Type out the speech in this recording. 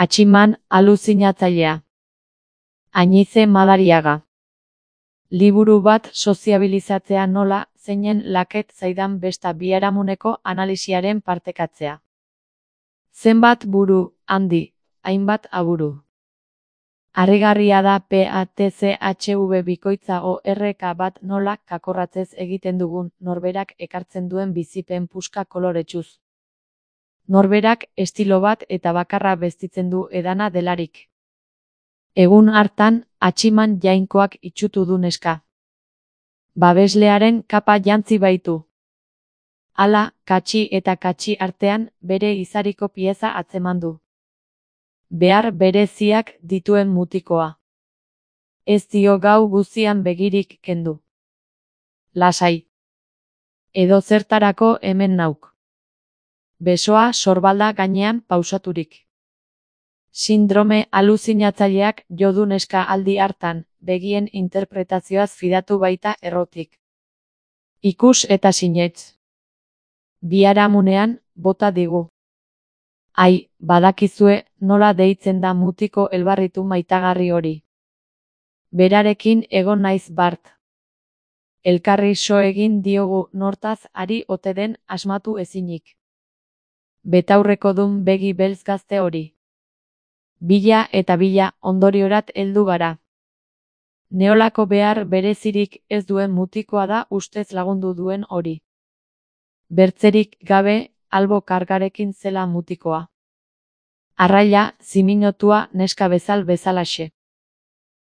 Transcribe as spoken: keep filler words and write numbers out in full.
Atximan aluzinatzailea. Añize Madariaga. Liburu bat soziabilizatzea nola, zeinen laket zaidan besta biharamuneko analisiaren partekatzea. Zenbat buru, handi, hainbat aburu. Harrigarria da P A T C H V bikoitza O R K bat nola kakorratzez egiten dugun norberak ekartzen duen bizipen puska koloretsuz. Norberak estilo bat eta bakarra bestitzen du edana delarik. Egun hartan, atximan jainkoak itxutu du neska. Babeslearen kapa jantzi baitu. Hala, katxi eta katxi artean, bere izariko pieza atzeman du. Behar bereziak dituen mutikoa. Ez dio gau guzian begirik kendu. Lasai. Edo zertarako hemen nauk. Besoa sorbalda gainean pausaturik. Sindrome aluzinatzaileak jo du neska aldi hartan, begien interpretazioaz fidatu baita errotik. Ikus eta sinetz. Biharamunean, bota digu. Ai, badakizue, nola deitzen da mutiko elbarritu maitagarri hori. Berarekin egon naiz bart. Elkarri so egin diogu nortaz ari ote den asmatu ezinik. Betaurreko dun begi beltz gazte hori. Bila eta bila ondoriorat heldu gara. Neolako behar berezirik ez duen mutikoa da ustez lagundu duen hori. Bertzerik gabe, albo kargarekin zela mutikoa. Arraila, ziminotua neska bezal bezalaxe.